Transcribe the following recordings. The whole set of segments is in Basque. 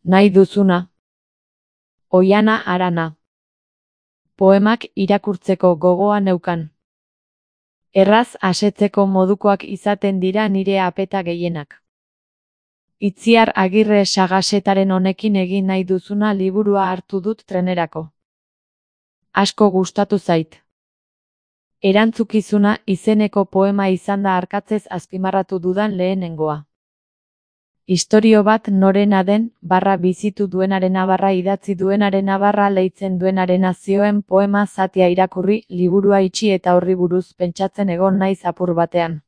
Nahi duzuna. Oihana Arana. Poemak irakurtzeko gogoa neukan. Erraz asetzeko modukoak izaten dira nire apeta gehienak. Itziar Agirre Sagasetaren honekin egin nahi duzuna liburua hartu dut trenerako. Asko gustatu zait. Erantzukizuna izeneko poema izan da arkatzez azpimarratu dudan lehenengoa. Istorio bat norena den, bizitu duenarena idatzi duenarena leitzen duenarena zioen poema zatia irakurri, liburua itxi eta horri buruz pentsatzen egon naiz apur batean.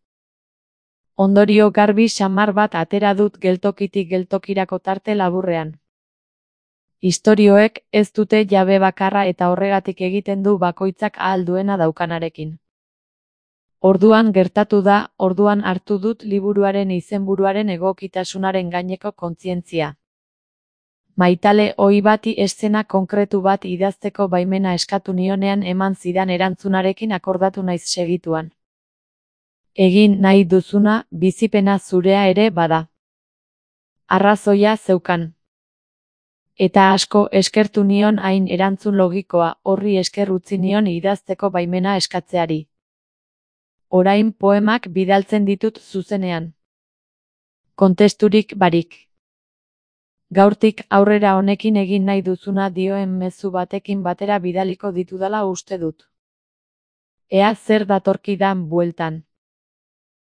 Ondorio garbi samar bat atera dut geltokitik geltokirako tarte laburrean. Istorioek ez dute jabe bakarra eta horregatik egiten du bakoitzak ahal duena daukanarekin. Orduan gertatu da, orduan hartu dut liburuaren izenburuaren egokitasunaren gaineko kontzientzia. Maitale ohi bati eszena konkretu bat idazteko baimena eskatu nionean eman zidan erantzunarekin akordatu naiz segituan. Egin nahi duzuna, bizipena zurea ere bada. Arrazoia zeukan. Eta asko eskertu nion hain erantzun logikoa, horri esker utzi nion idazteko baimena eskatzeari. Orain poemak bidaltzen ditut zuzenean. Kontesturik barik. Gaurtik aurrera honekin egin nahi duzuna dioen mezu batekin batera bidaliko ditudala uste dut. Ea zer datorkidan bueltan.